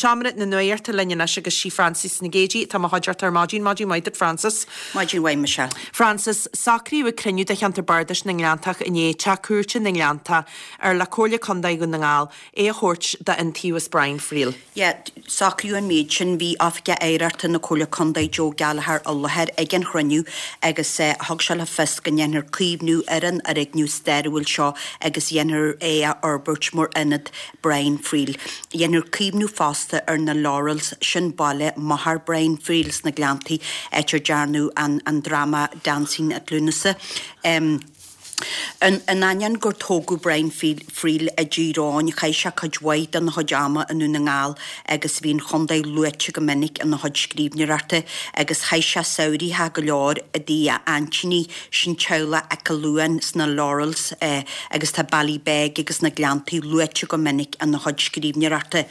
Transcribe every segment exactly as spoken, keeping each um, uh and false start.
Seomra na Nuachta linn anois agus sí Frances Nic Géadaigh atá i mo chuideachta ar maidin. Maidin mhaith duit Frances. Maidin mhaith Michelle. Frances, socraíodh ag cruinniú de cheantar Bardais na nGleanntach inné teach cúirte na nGleanntach ar le Comhairle Contae Dhún na nGall é a thabhairt d'Iontaobhas Brian Friel. Yeah, socraíodh an méid sin bhí Oifigeach Oidhreachta na Comhairle Contae Joe Gallagher i láthair ag an chruinniú agus eh, thug sé le fios go ndéanfar caomhnú ar an fhoirgneamh stairiúil seo agus dhéanfar é a fhorbairt mar ionad Brian Friel. Dhéanfar caomhnú fosta ar na Laurels sin baile máthair Brian Friel sna Gleanntaí áit ar dearnadh an, an drama Dancing at Lughnasa. Um, In ainneoin gur tógadh Brian Friel i dTír Eoghain chaith sé cuid mhaith den chuid ama i nDún na nGall agus bhí an chontae luaite go minic ina chuid scríbhneoireachta agus chaith sé samhraithe go leor i dtigh a aintíní sin teaghlach Aice Luain sna Laurels eh, agus tá Ballybeg agus na Gleanntaí luaite go minic ina chuid scríbhneoireachta.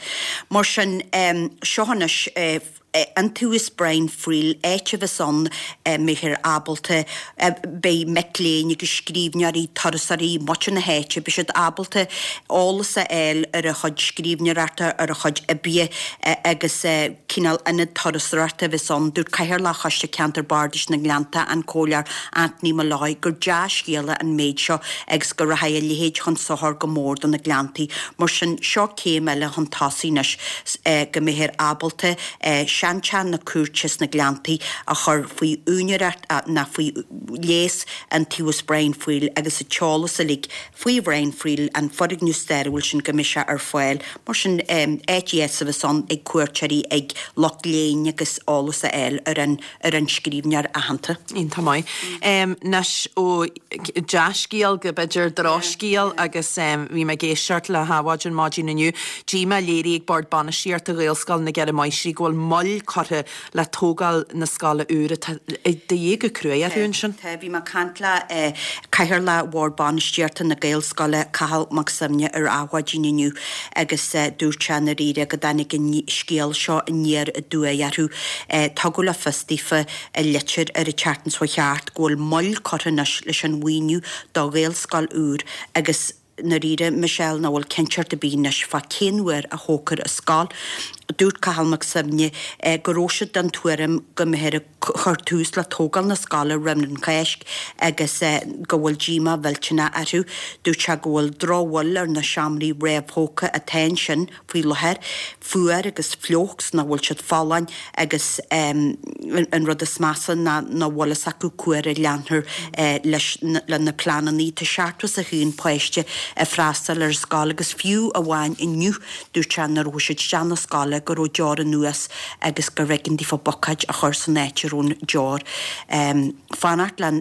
Mar sin um, seo anois eh, Iontaobhas Brian Friel áit a bheas ann mbeifear ábalta beidh mic léinn agus scríbhneoirí turasóirí muintir na háite, beidh siad ábalta eolas a fháil ar a chuid scríbhneoireachta ar a chuid oibre agus cineál ionad turasóireachta a bheas ann. Dúirt Cathaoirleach Choiste Ceantar Bardais na nGleannta an Comhairleoir Anthony Molloy gur dea-scéala an méid seo agus go rachaidh a leithéid chun sochair go mór do na Gleanntaí. Mar sin seo céim eile chun tosaigh anois go mbeifear ábalta seanteach na cúirte sna Gleanntaí a chur faoi úinéireacht ná faoi léas Iontaobhas Brian Friel agus an t-eolas uilig faoi Brian Friel an foirgneamh stairiúil sin go mbeidh sé ar fáil. Mar sin áit dheas a bheas ann ag cuairteoirí ag lucht léinn agus eolas a fháil ar an ar an scríbhneoir aitheanta. Iontach maith. Anois ó dea-scéal go b'fhéidir drochscéal agus bhí mé ag éisteacht le hAdhmhaidin maidin inniu. Díomá léirithe ag Bord Bainistíochta Ghaelscoil na gCeithre Máistrí go bhfuil moill curtha le tógáil na scoile úr atá de dhíth go cruaidh orthu ansin. Tá bhí mé ag caint le Cathaoirleach Bhord Bainistíochta na Gaelscoile Cathal Mac Suibhne ar Adhmhaidin inniu agus dúirt sé ndáiríre go dtáinig an scéal seo aniar aduaidh orthu. Tugadh le fios daofa i litir ar an tseachtain seo thart go bhfuil moill curtha anois leis an mhaoiniú do Ghaelscoil úr agus ndáiríre Michelle nach bhfuil cinnteacht ar bith anois fá cén uair a thógfar an scoil. Dúirt Cathal Mac Suibhne go raibh siad den tuairim go mbeifear ag cur tús le tógáil na scoile roimh an Cháisc agus go bhfuil díomá mhillteanach orthu. Dúirt sé go bhfuil drochbhail ar na seomraí réamhthógtha atá ansin faoi láthair, fuar agus fliuch nach bhfuil siad folláin agus an rud is measa ná nach bhfuil fhios acu cá huair a leanfar leis le na pleananna. Tá seachtó is a haon páiste ag freastal ar an scoil agus fiú amháin inniu dúirt sé nuair a chuaigh siad isteach na scoile go raibh deor anuas agus gur bh'éigean daofa buicéid a chur san áit a raibh an deor. Fanacht le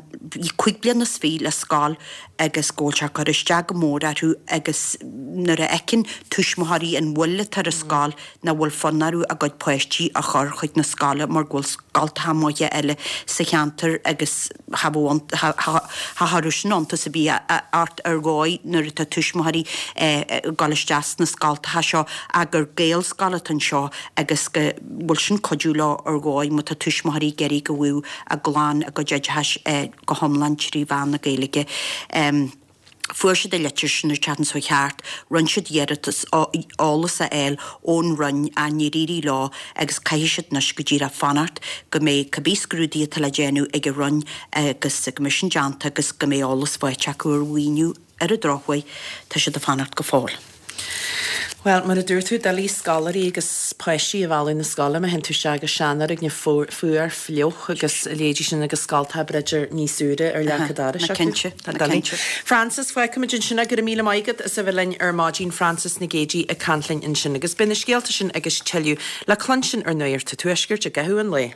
cúig bliana is fiche le scoil agus go bhfuil sé ag cur isteach go mór orthu agus nuair a fheiceann tuismitheoirí an mhoill atá ar an scoil nach bhfuil fonn orthu a gcuid páistí a chur chuig na scoile mar go bhfuil scoltacha maithe eile sa cheantar agus cha chuirfeadh sin iontas ar bith ort ar dhóigh nuair atá tuismitheoirí ag dul isteach sna scoltacha seo ach gur Gaelscoil atá anseo agus go bhfuil sin cuidiú leo ar dhóigh má tá tuismitheoirí ag iarraidh go bhfaigheadh a gclann a gcuid oideachais go hiomlán trí mheán na Gaeilge. Fuair siad an litir sin ar an tseachtain seo thart, rinne siad iarratas eolas a fháil ón Roinn ach níor éirigh leo agus caithfidh siad anois go díreach fanacht go mbeidh cibé scrúduithe atá le déanamh ag an Roinn agus go mbeidh sin déanta agus go mbeidh eolas faighte acu ar mhaoiniú. Ar an drochuair, tá siad ag fanacht go fóill. Bhuel, mar a dúirt tú, doiligh scoláirí agus páistí a mhealladh na scoile má théann tú isteach go seanfhoirgneamh fuar, fliuch agus a leithéidí sin agus scoltacha b'fhéidir níos úire ar leac an dorais acu. Cinnte, Tá doiligh. Frances, fágfaimid ansin é. Go raibh míle maith agat as a bheith linn ar maidin. Frances Nic Géadaigh ag caint linn ansin. Agus beidh na scéalta sin agus tuilleadh le cluinstin ar Nuacht an Tuaiscirt i gcaitheamh an lae.